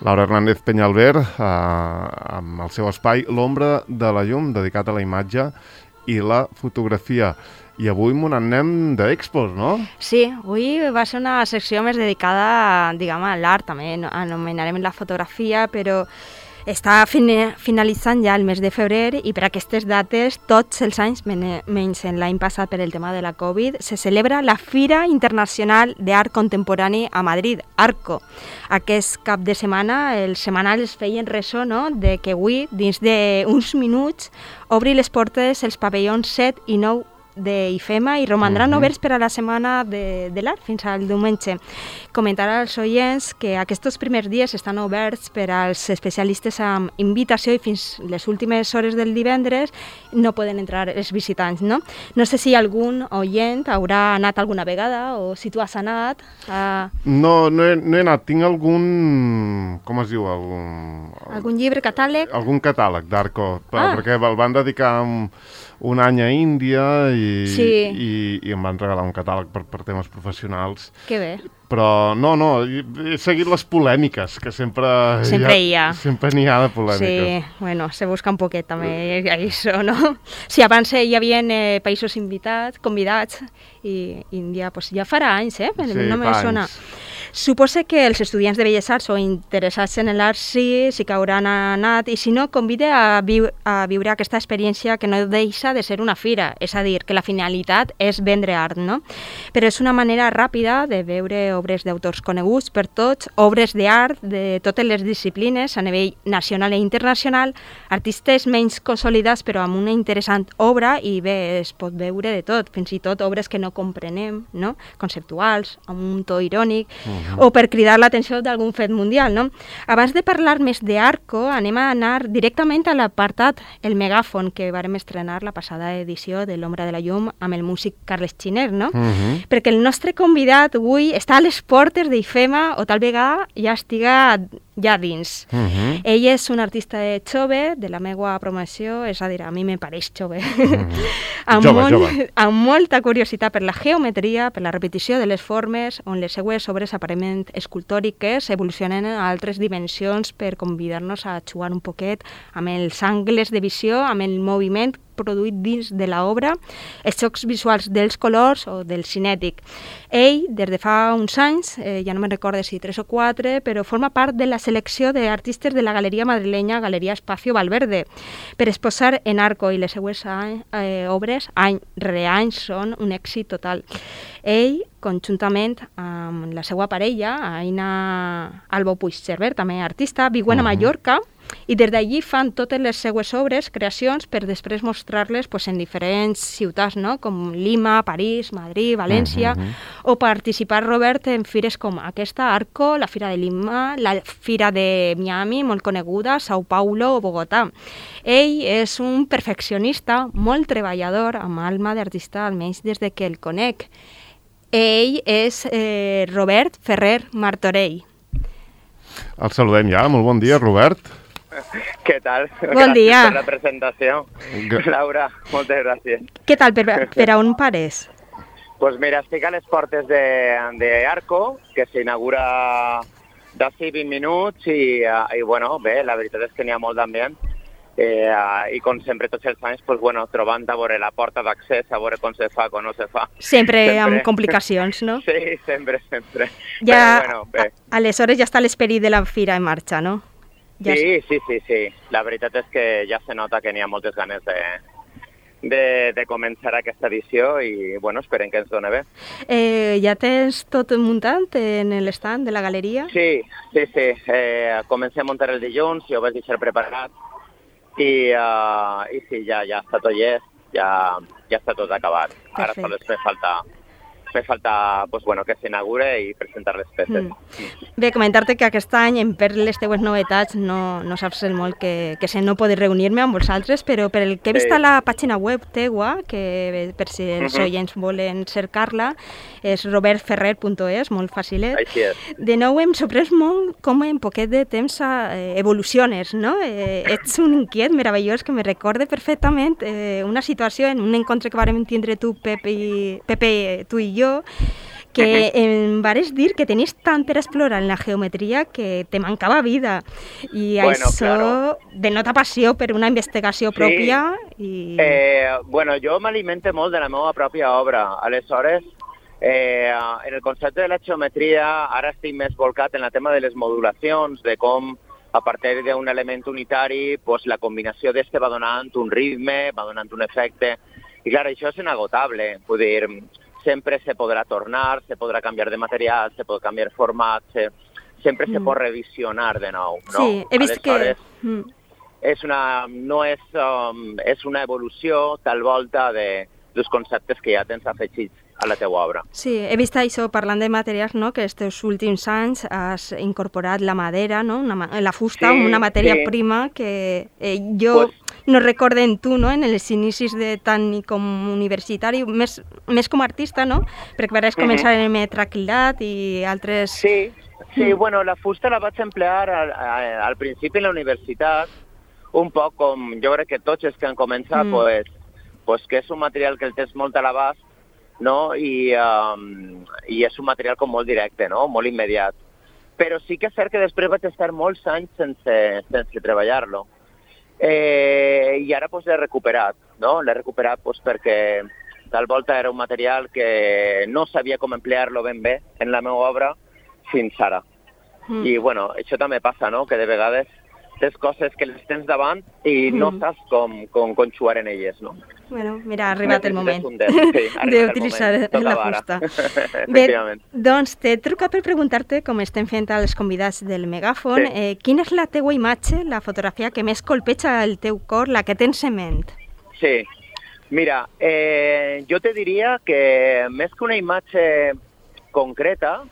Laura Hernández Peñalver, amb el seu espai L'ombra de la llum, dedicat a la imatge i la fotografia. I avui m'ho anem d'expos, no? Sí, avui va ser una secció més dedicada, diguem, a l'art, també anomenarem la fotografia, però està finalitzant ja el mes de febrer i per aquestes dates, tots els anys, menys l'any passat per el tema de la Covid, se celebra la Fira Internacional d'Art Contemporani a Madrid, ARCO. Aquest cap de setmana els setmanals feien ressò, no?, de que avui, dins d'uns minuts, obri les portes els pavellons 7 i 9 d'IFEMA i romandran oberts per a la setmana de l'art fins al diumenge. Comentar als oients que aquests primers dies estan oberts per als especialistes amb invitació i fins les últimes hores del divendres no poden entrar els visitants, no? No sé si algun oient haurà anat alguna vegada o si tu has anat. No he anat. Tinc algun... com es diu? Algun llibre, catàleg? Algun catàleg d'Arco, perquè el van dedicar un any a Índia i em van regalar un catàleg per temes professionals. Que bé. Però no, he seguit les polèmiques, que sempre hi ha. Sempre n'hi ha de polèmiques. Sí, bueno, se busca un poquet també això, no? Sí, abans hi havia països convidats i Índia pues, ja farà anys, no me sona. Suposo que els estudiants de Belles Arts o interessats en l'art sí que hauran anat i si no, convida a viure aquesta experiència que no deixa de ser una fira, és a dir, que la finalitat és vendre art, no? Però és una manera ràpida de veure obres d'autors coneguts per tots, obres d'art de totes les disciplines a nivell nacional i internacional, artistes menys consolidats però amb una interessant obra i bé, es pot veure de tot, fins i tot obres que no comprenem, no? Conceptuals, amb un to irònic, o per cridar l'atenció d'algun fet mundial, no? Abans de parlar més d'Arco, anem a anar directament a l'apartat El Megàfon, que vàrem estrenar la passada edició de L'ombra de la llum amb el músic Carles Giner, no? Perquè el nostre convidat avui està a les portes d'IFEMA o tal vegada ja estiga ja dins. Ell és un artista jove, de la meva promoció, és a dir, a mi me pareix jove. Amb molta curiositat per la geometria, per la repetició de les formes, on les seues obres aparentment escultòriques evolucionen a altres dimensions per convidar-nos a jugar un poquet amb els angles de visió, amb el moviment produït dins de l'obra, els xocs visuals dels colors o del cinètic. Ell, des de fa uns anys, ja no me'n recordo si 3 o 4, però forma part de la selecció d'artistes de la galeria madrilenya Galeria Espacio Valverde, per exposar en Arco i les seues obres, any rere any, són un èxit total. Ell, conjuntament amb la seva parella, Aina Albo Puigcerver, també artista, viuen a Mallorca, i des d'allí fan totes les seues obres, creacions, per després mostrar-les en diferents ciutats, no? Com Lima, París, Madrid, València, o participar, Robert, en fires com aquesta, Arco, la Fira de Lima, la Fira de Miami, molt coneguda, Sao Paulo o Bogotà. Ell és un perfeccionista, molt treballador, amb alma d'artista, almenys des de que el conec. Ell és Robert Ferrer Martorell. El saludem ja. Molt bon dia, Robert. Què tal? Bon dia. Gràcies per la presentació. Laura, moltes gràcies. Què tal? Per on pares? Pues mira, estic a les portes d'Arco, que s'inaugura d'ací 20 minuts i bueno, bé, la veritat és que n'hi ha molt d'ambient. I com sempre tots els anys, pues, bueno, trobant a veure la porta d'accés, a veure com se fa, com no se fa. Sempre amb complicacions, no? Sí, sempre. Ja, però, bueno, bé. Aleshores ja està l'esperit de la fira en marxa, no? Ja Sí. La veritat és que ja se nota que n'hi ha moltes ganes de començar aquesta edició i, bueno, esperem que ens doni bé. Ja tens tot muntat en l'estand de la galeria? Sí. Comencem a muntar el dilluns i ho vaig deixar preparat i sí, ja està tot llest, ja està tot acabat. Ara sols me falta pues, bueno, que s'inaugure i presentar les peces. Bé, comentar-te que aquest any, per les teues novetats, no saps el molt que no poder reunir-me amb vosaltres, però per el que he vist a la pàgina web teua, que per si els oients volen cercar-la, és robertferrer.es, molt fàcilet. Així és. De nou hem sorprès molt com en poquet de temps evoluciones, no? Ets un inquiet meravellós que me recorde perfectament una situació en un encontre que vàrem tindre tu, Pepe, tu i jo, que em vares dir que tenies tant per explorar en la geometria que te mancava vida. I Bueno, això claro. denota passió per una investigació Sí. pròpia. I... Bueno, jo m'alimento molt de la meva pròpia obra. Aleshores, en el concepte de la geometria, ara estic més volcat en el tema de les modulacions, de com a partir d'un element unitari pues, la combinació d'este va donant un ritme, va donant un efecte. I clar, això és inagotable. Vull dir, sempre se podrà tornar, se podrà canviar de material, se pot canviar format, sempre se pot revisionar de nou. No? Sí, he vist Aleshores, que... és una evolució tal volta dels conceptes que ja tens afegits a la teua obra. Sí, he vist això, parlant de materials, no? Que aquests últims anys has incorporat la madera, no? La fusta, Sí, una matèria sí. prima que jo no recordo en tu, no? En els inicis de tant com universitari, més com a artista, no? Perquè vas començar en el metraquilat i altres... Sí, bueno, la fusta la vaig emplear al principi en la universitat, un poc com jo crec que tots els que han començat, pues que és un material que el tens molt a l'abast, no? I és un material com molt directe, no? Molt immediat. Però sí que és cert que després vaig estar molts anys sense treballar-lo. I ara pues, l'he recuperat, no? L'he recuperat pues, perquè tal volta era un material que no sabia com emplear-lo ben bé en la meva obra fins ara. I bueno, això també passa, no? Que de vegades tens coses que les tens davant i no saps com xuar en elles, no? Bueno, mira, ha arribat el moment d'utilitzar la fusta. Bé, doncs t'he trucat per preguntar-te, com estem fent als convidats del Megàfon, quina és la teua imatge, la fotografia que més colpeja el teu cor, la que tens en ment? Sí, mira, jo te diria que més que una imatge concreta,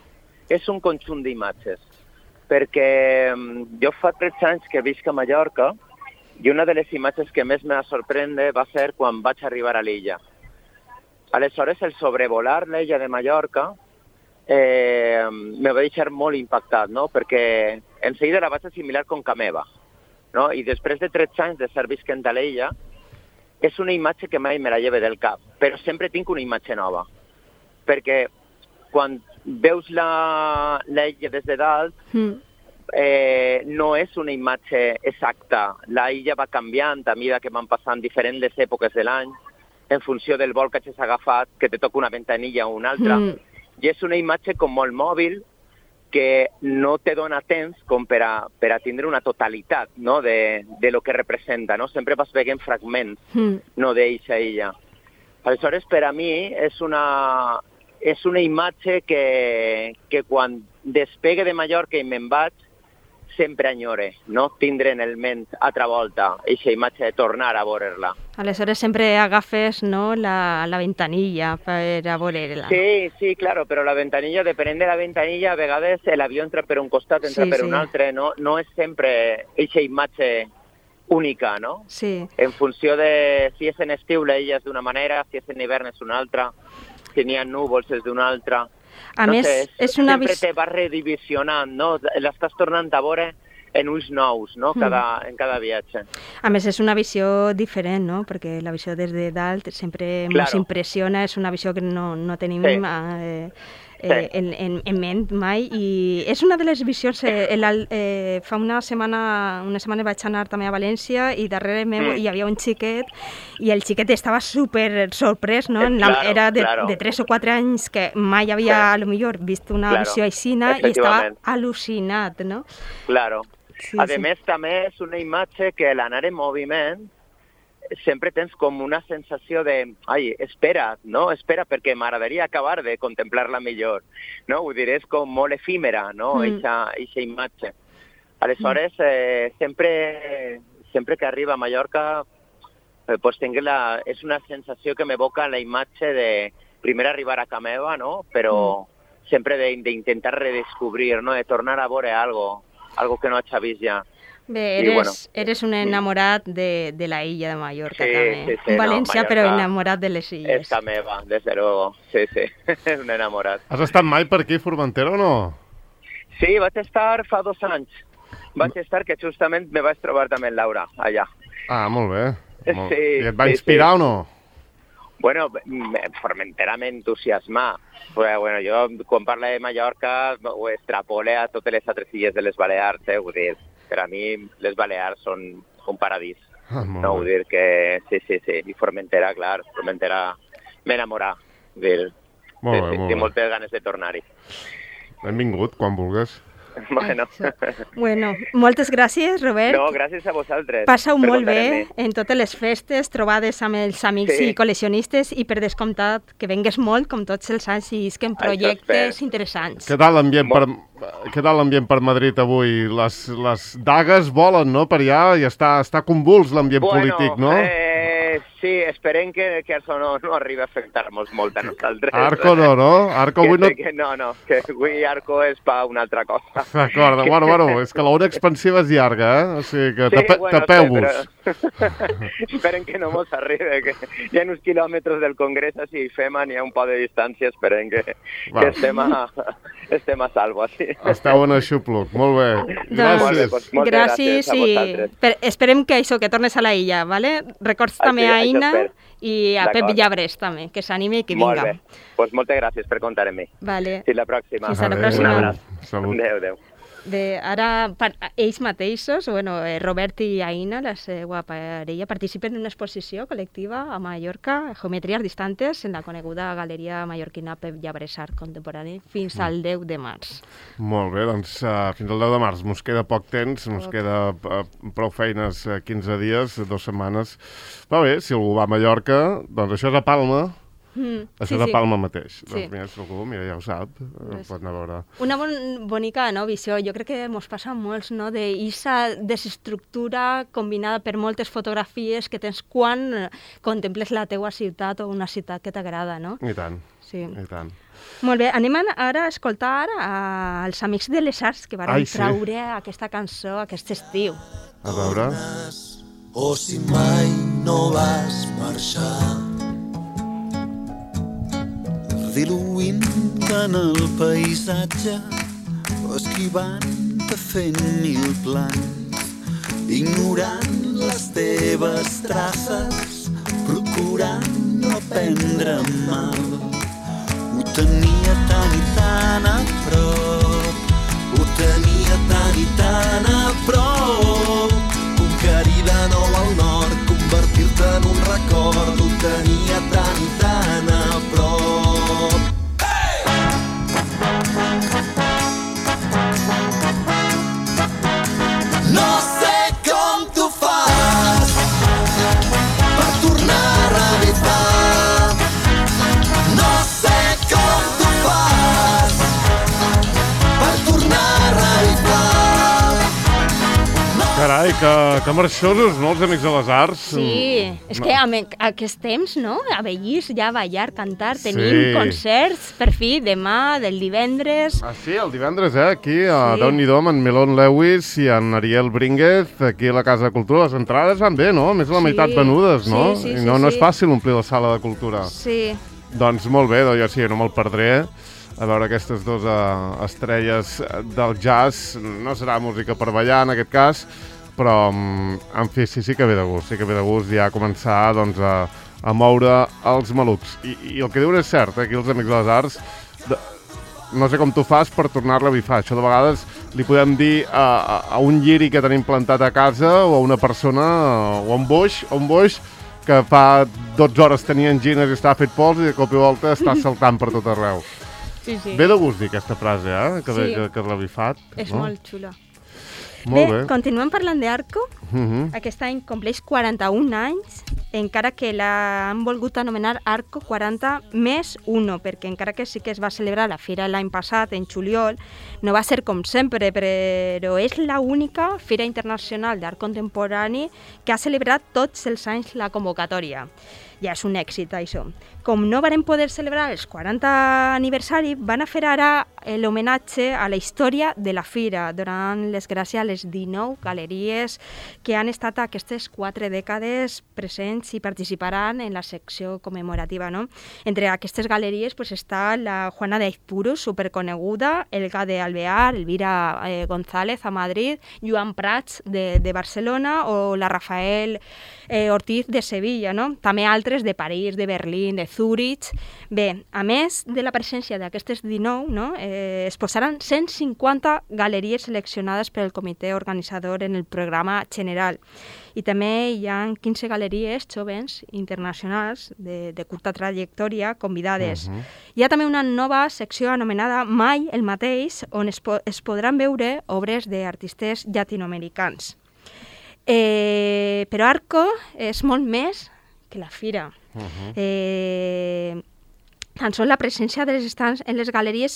és un conjunt d'imatges. Perquè jo fa 13 anys que visc a Mallorca i una de les imatges que més me va sorprendre va ser quan vaig arribar a l'illa. Aleshores, el sobrevolar l'illa de Mallorca me va deixar molt impactat, no? Perquè en seguida la vaig assimilar com ca meva. No? I després de 13 anys de ser visquent a l'illa, és una imatge que mai me la lleve del cap, però sempre tinc una imatge nova. Perquè quan veus l'illa des de dalt, no és una imatge exacta. La illa va canviant a mesura que van passant diferents èpoques de l'any, en funció del vol que hagis agafat, que te toca una ventanilla o una altra. I és una imatge com molt mòbil, que no te dona temps com per a tindre una totalitat, no? de lo que representa. No? Sempre vas veient fragments no, d'eixa illa. Aleshores, per a mi, és una imatge que quan despegue de Mallorca i me'n vaig, sempre enyore, no? Tindre en el ment altra volta aquesta imatge de tornar a veure-la. Aleshores sempre agafes, no, la ventanilla per a veure-la. Sí, claro, però la ventanilla, depenent de la ventanilla, a vegades l'avió entra per un costat, entra per un altre, no és sempre aquesta imatge única, no? Sí. En funció de si és en estiu l'illa és d'una manera, si és en hivern és una altra, si n'hi ha núvols és d'una altra. A més, és una sempre te vas redivisionant, no? L'estàs tornant a veure en ulls nous, no? En cada viatge. A més, és una visió diferent, no? Perquè la visió des de dalt sempre ens impressiona, és una visió que no tenim en ment mai, i és una de les visions, fa una setmana vaig anar també a València i darrere meu hi havia un xiquet i el xiquet estava super sorprès, no? Era de 3 o 4 anys que mai havia, a lo millor, vist una visió aixina i estava al·lucinat, no? Claro. A més, també és una imatge que l'anar en moviment sempre tens com una sensació de espera, no? Espera, perquè m'agradaria acabar de contemplar-la millor, no? Vull dir, és com molt efímera, no? Eixa imatge. Aleshores, sempre que arriba a Mallorca, pues és una sensació que m'evoca la imatge de primer arribar a casa meva, no? Però sempre d'intentar redescobrir, no? De tornar a veure algo que no haig vist ja. Bé, eres un enamorat de la illa de Mallorca, també. Sí, València, però enamorat de les illes. És casa meva, des de luego. Sí, un enamorat. Has estat mai per aquí, Formentera, o no? Sí, vaig estar fa 2 anys. Vaig estar que justament me vaig trobar també en Laura, allà. Ah, molt bé. Sí. I et va inspirar o no? Bueno, Formentera m'entusiasma. Bueno, jo, quan parlo de Mallorca, ho extrapole a totes les altres illes de les Balears, vull dir, per a mi les Balears són un paradís. No, vull dir que sí, i Formentera, clar, Formentera m'enamora. Tinc moltes ganes de tornar-hi. Benvingut, quan vulguis. Bueno, moltes gràcies, Robert. No, gràcies a vosaltres. Passa-ho molt bé en totes les festes, trobades amb els amics i col·leccionistes i per descomptat que vengues molt, com tots els anys, i isquen projectes interessants. Què tal l'ambient per Madrid avui? Les dagues volen, no?, per allà i està convuls l'ambient polític, no? Sí, esperem que això no arribi a afectar-nos molt a nosaltres. Arco no? Arco avui no... No, que avui Arco és per una altra cosa. D'acord, bueno, és que l'ona expansiva és llarga, O sigui que tapeu-vos. Esperem que no mos arribi, que hi ha uns quilòmetres del Congrés, si fem n'hi ha un poc de distància, esperem que estem a salvo. Esteu en aixopluc, molt bé. Gràcies. Gràcies i esperem que això, que tornes a la illa, ¿vale? Records també a Aina i a Pep Llabres també, que s'animi i que vinga. Molt bé, doncs moltes gràcies per comptar amb mi. Vale. Fins la pròxima. Fins a la pròxima. Un abraç. Salut. Adéu. Ara, ells mateixos, Robert i Aina, la seva parella, participen en una exposició col·lectiva a Mallorca, Geometries distantes, en la coneguda galeria mallorquina Pep Llabres Art Contemporani, fins al 10 de març. Molt bé, doncs fins al 10 de març. Mos queda poc temps, mos queda prou feines, 15 dies, 2 setmanes. Va bé, si algú va a Mallorca, doncs això és a Palma. Això és a Palma mateix. Doncs mira, si algú, ja ho sap, pot anar a veure. Una bonica visió, jo crec que ens passa a molts, no?, d'eixa desestructura combinada per moltes fotografies que tens quan contemples la teua ciutat o una ciutat que t'agrada, no? I tant, sí. I tant. Molt bé, anem ara a escoltar els Amics de les Arts que van traure aquesta cançó aquest estiu. A veure... O si mai no vas marxar, diluint en el paisatge o esquivant-te fent mil plans, ignorant les teves traces, procurant no prendre mal. Ho tenia tan i tan a prop, ho tenia tan i tan a prop, conquerir de nou al nord, convertir-te en un record, ho tenia tan i tan a prop. No sé com tu fas per tornar a revivar. No sé com tu fas per tornar a revivar. Carai, que marxosos, no, els Amics de les Arts? Sí, és que amb aquest temps, no?, a Bellís ja ballar, cantar, tenim concerts, per fi, demà, del divendres... Ah, sí, el divendres, aquí, a Déu-n'hi-do, amb en Melon Lewis i en Ariel Brínguez, aquí a la Casa de Cultura. Les entrades van bé, no? Més de la meitat venudes, no? Sí, I no és fàcil omplir la sala de cultura. Sí. Doncs molt bé, jo sí, no me'l perdré. A veure aquestes dues estrelles del jazz. No serà música per ballar, en aquest cas, però, en fi, sí que ve de gust. Sí que ve de gust ja començar, doncs, a moure els malucs. I el que diuen és cert, aquí els Amics de les Arts, no sé com tu fas per tornar-la a bifar. Això de vegades li podem dir a un lliri que tenim plantat a casa o a una persona, o a un boix que fa 12 hores tenia angines i estava fet pols i de cop i volta està saltant per tot arreu. Sí. Ve de gust dir aquesta frase, que l'ha bifat. És molt xula. Molt bé. Continuem parlant d'Arco. Aquest any compleix 41 anys, encara que l'han volgut anomenar Arco 40+1, perquè encara que sí que es va celebrar la fira l'any passat, en juliol, no va ser com sempre, però és l'única fira internacional d'art contemporani que ha celebrat tots els anys la convocatòria. Ja és un èxit, això. Com no varen poder celebrar els 40 aniversari, van a fer ara l'homenatge a la història de la fira, donant les gràcies a les 19 galeries que han estat aquestes 4 dècades presents i participaran en la secció commemorativa, no? Entre aquestes galeries pues, està la Juana de Aizpuru, superconeguda, Elga de Alvear, Elvira González a Madrid, Joan Prats de Barcelona o la Rafael Ortiz de Sevilla, no? També altres de París, de Berlín, de Zúrich. Bé, a més de la presència d'aquestes 19, no? Es posaran 150 galeries seleccionades pel comitè organitzador en el programa general. I també hi ha 15 galeries joves internacionals de curta trajectòria convidades. Hi ha també una nova secció anomenada Mai el mateix, on es podran veure obres d'artistes llatinoamericans. Però Arco és molt més que la fira. Tan sols la presència dels estants en les galeries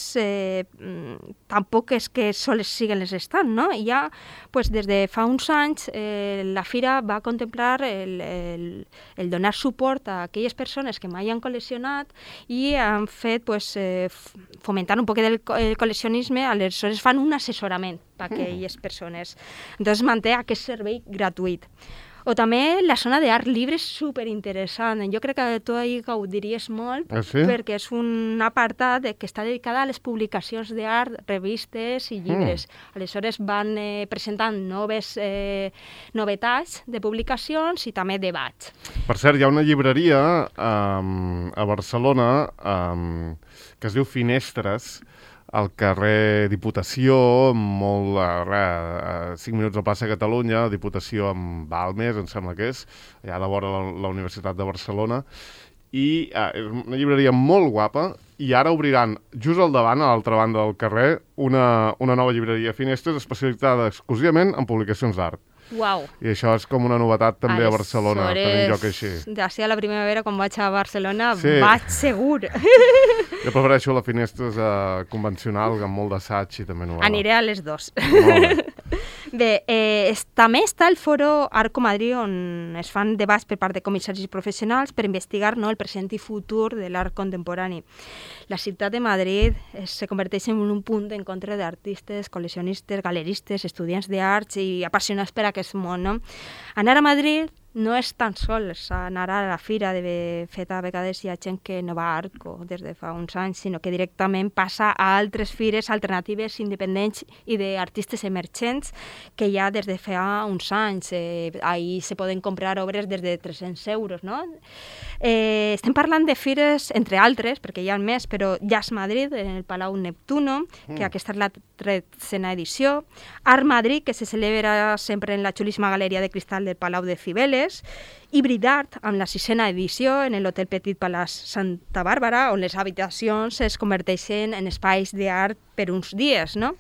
tampoc és que sols siguen les estants, no? Ja, pues, des de fa uns anys la fira va contemplar el donar suport a aquelles persones que mai han col·leccionat i han fet, pues, fomentant un poc del col·leccionisme, aleshores fan un assessorament per a aquelles persones. Entonces manté aquest servei gratuït. O també la zona d'art llibre és superinteressant. Jo crec que tu hi gaudiries molt, perquè és un apartat que està dedicat a les publicacions d'art, revistes i llibres. Aleshores van presentant novetats de publicacions i també debats. Per cert, hi ha una llibreria a Barcelona que es diu Finestres, al carrer Diputació, molt a 5 minuts a plaça Catalunya, Diputació amb Balmes, em sembla que és, allà de vora la Universitat de Barcelona, i és una llibreria molt guapa, i ara obriran just al davant, a l'altra banda del carrer, una nova llibreria Finestres especialitzada exclusivament en publicacions d'art. Uau. I això és com una novetat també a Barcelona, tenint lloc així. D'ací a la primavera, quan vaig a Barcelona, vaig segur. Jo prefereixo la Finestres convencional, amb molt d'assaig i també novel·la. Aniré a les 2. Molt bé. Bé, també està el foro Arco Madrid, on es fan debats per part de comissaris professionals per investigar, no, el present i futur de l'art contemporani. La ciutat de Madrid se converteix en un punt d'encontre d'artistes, col·leccionistes, galeristes, estudiants d'arts i apassionats per aquest món, no? Anar a Madrid no és tan sols anar a la fira, de fet a vegades hi ha gent que no va a Arco des de fa uns anys, sinó que directament passa a altres fires alternatives independents i d'artistes emergents que hi ha des de fa uns anys. Ahí se poden comprar obres des de 300 euros, no? Estem parlant de fires, entre altres, perquè hi ha més, però Jazz Madrid, en el Palau Neptuno, que aquesta és la 13a edició, Art Madrid, que se celebra sempre en la xulíssima galeria de cristal del Palau de Cibeles, Híbrid Art, amb la 6a edició en l'Hotel Petit Palace Santa Bàrbara, on les habitacions es converteixen en espais d'art per uns dies, no?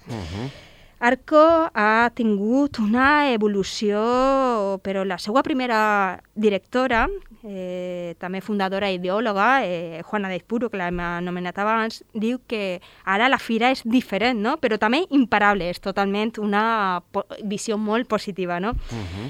Arco ha tingut una evolució, però la seva primera directora, també fundadora i ideòloga, Juana de Aizpuru, que l'hem anomenat abans, diu que ara la fira és diferent, no? Però també imparable, és totalment una visió molt positiva, no?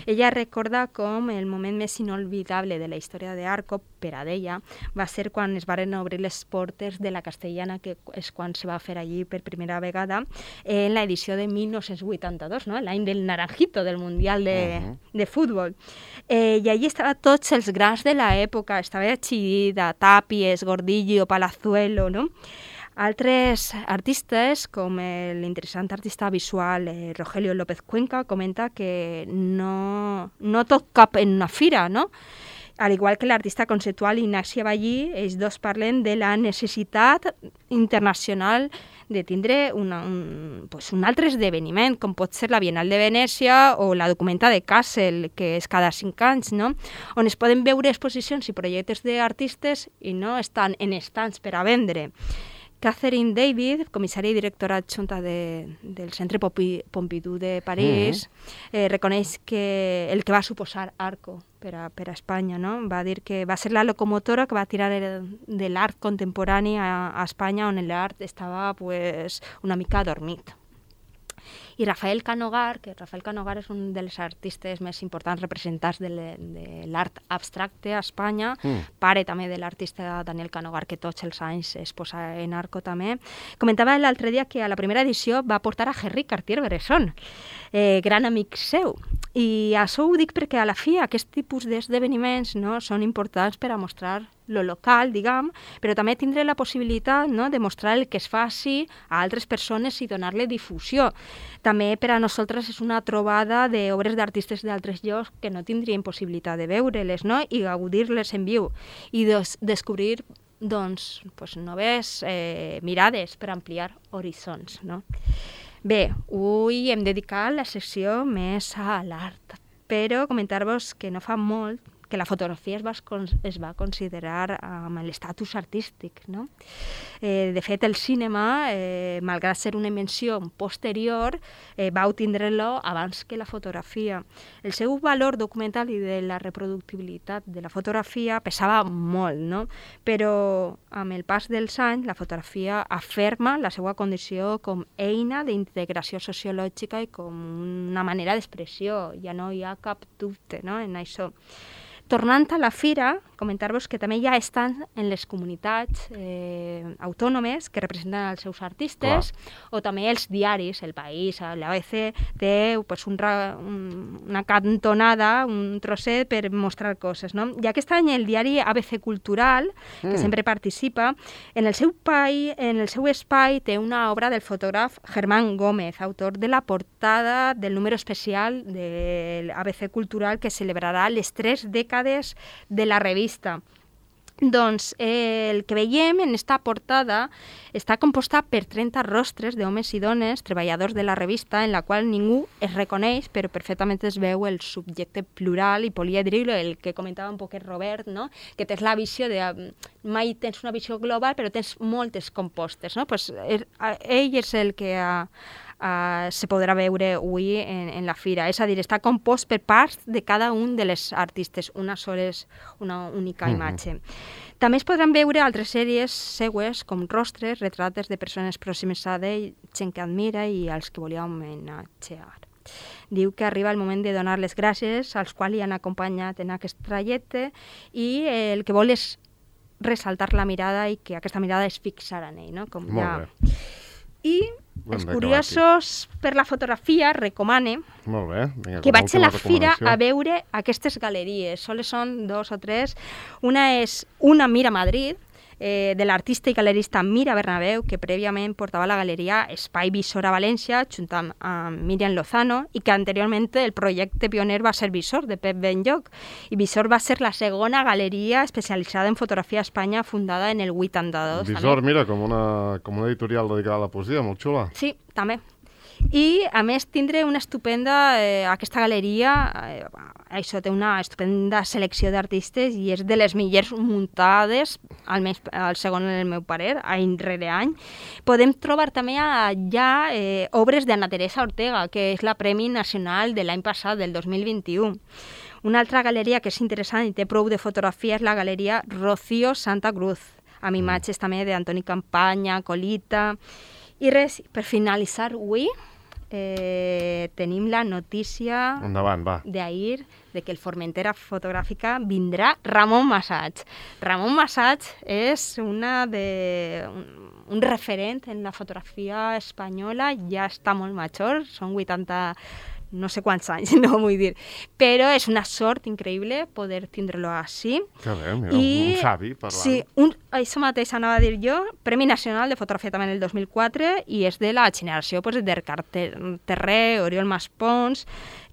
Ella recorda com el moment més inolvidable de la història d'Arco, per a ella, va ser quan es varen obrir les portes de la Castellana, que és quan se va fer allí per primera vegada, en l'edició de 1982, no? L'any del Naranjito, del Mundial de Futbol. I allí estaven tots els grans de l'època, estava Chillida, Tàpies, Gordillo, Palazuelo, no? Altres artistes, com l'interessant artista visual Rogelio López Cuenca, comenta que no tot cap en una fira, no? Al igual que l'artista conceptual Ignacia Ballí, ells dos parlen de la necessitat internacional de tindre un altre esdeveniment, com pot ser la Bienal de Venècia o la Documenta de Kassel, que és cada 5 anys, no? On es poden veure exposicions i projectes d'artistes i no estan en estants per a vendre. Catherine David, comissària i directora adjunta del Centre Pompidou de París, reconeix que el que va suposar Arco per a Espanya, no? Va dir que va ser la locomotora que va tirar de l'art contemporani a Espanya, on l'art estava pues, una mica adormit. I Rafael Canogar, que Rafael Canogar és un dels artistes més importants representants de l'art abstracte a Espanya, pare també de l'artista Daniel Canogar, que tots els anys es posa en Arco també, comentava l'altre dia que a la primera edició va portar a Henri Cartier-Bresson, gran amic seu, I això ho dic perquè a la fi aquest tipus d'esdeveniments, no, són importants per a mostrar lo local, diguem, però també tindre la possibilitat, no, de mostrar el que es faci a altres persones i donar-li difusió. També per a nosaltres és una trobada d'obres d'artistes d'altres llocs que no tindrien possibilitat de veure-les, no, i gaudir-les en viu i descobrir doncs, noves mirades per ampliar horitzons, no? Bé, avui hem dedicat la secció més a l'art, però comentar-vos que no fa molt que la fotografia es va considerar amb l'estatus artístic, no? De fet, el cinema, malgrat ser una invenció posterior, va tindre-lo abans que la fotografia. El seu valor documental i de la reproductibilitat de la fotografia pesava molt, no? Però amb el pas dels anys, la fotografia aferma la seva condició com eina d'integració sociològica i com una manera d'expressió. Ja no hi ha cap dubte, no, en això. Tornant a la fira, comentar-vos que també ja estan en les comunitats autònomes que representen els seus artistes, o també els diaris, El País, l'ABC, té una cantonada, un trosset per mostrar coses, no? I aquest any el diari ABC Cultural, que sempre participa, en el seu espai té una obra del fotògraf Germán Gómez, autor de la portada del número especial de l'ABC Cultural que celebrarà les 3 dècades de la revista. Doncs el que veiem en esta portada està composta per 30 rostres d'homes i dones, treballadors de la revista, en la qual ningú es reconeix, però perfectament es veu el subjecte plural i polièdric, el que comentava un poquet Robert, no? Que tens la visió de... Mai tens una visió global, però tens moltes compostes, no? Pues, ell és el que se podrà veure avui en la fira. És a dir, està compost per parts de cada un de les artistes. Una sola és una única imatge. També es podran veure altres sèries seues com rostres, retrates de persones pròximes a ell, gent que admira i als que volia homenatjar. Diu que arriba el moment de donar les gràcies als quals li han acompanyat en aquest trajecte i el que vol és ressaltar la mirada i que aquesta mirada es fixarà en ell, no? Com Molt ja... bé. I els curiosos per la fotografia recomane que vaig a la fira a veure aquestes galeries. Soles són 2 o 3. Una és una Mira Madrid, de l'artista i galerista Mira Bernabeu, que prèviament portava la galeria Espai Visor a València, junt amb Miriam Lozano, i que anteriorment el projecte pioner va ser Visor, de Pep Benlloch. I Visor va ser la segona galeria especialitzada en fotografia a Espanya, fundada en el 82. Visor, també. Mira, com una editorial dedicada a la poesia, molt xula. Sí, també. I, a més, tindre una estupenda... aquesta galeria, això té una estupenda selecció d'artistes i és de les millors muntades, almenys el segon en el meu parer, any rere any. Podem trobar també allà obres d'Anna Teresa Ortega, que és la Premi Nacional de l'any passat, del 2021. Una altra galeria que és interessant i té prou de fotografia és la galeria Rocío Santa Cruz, amb imatges també d'Antoni Campanya, Colita... I res, per finalitzar avui, tenim la notícia d'ahir de que el Formentera Fotogràfica vindrà Ramon Massats. Ramon Massats és un referent en la fotografia espanyola, ja està molt major, són 80... no sé quants anys, no vull dir. Però és una sort increïble poder tindre-lo així. Que bé, mira, un savi parlant. Sí, això mateix anava a dir jo, Premi Nacional de Fotografia també en el 2004, i és de la generació d'Ercar Terré, Oriol Maspons,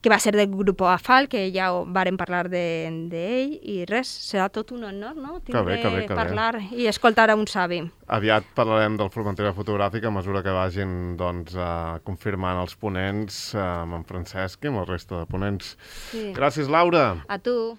que va ser del grup AFAL, que ja vàrem parlar d'ell, i res, serà tot un honor, no? Tindre parlar i escoltar a un savi. Aviat parlarem del Formentera Fotogràfic a mesura que vagin confirmant els ponents amb en Francesc i amb el resta de ponents. Gràcies, Laura. A tu.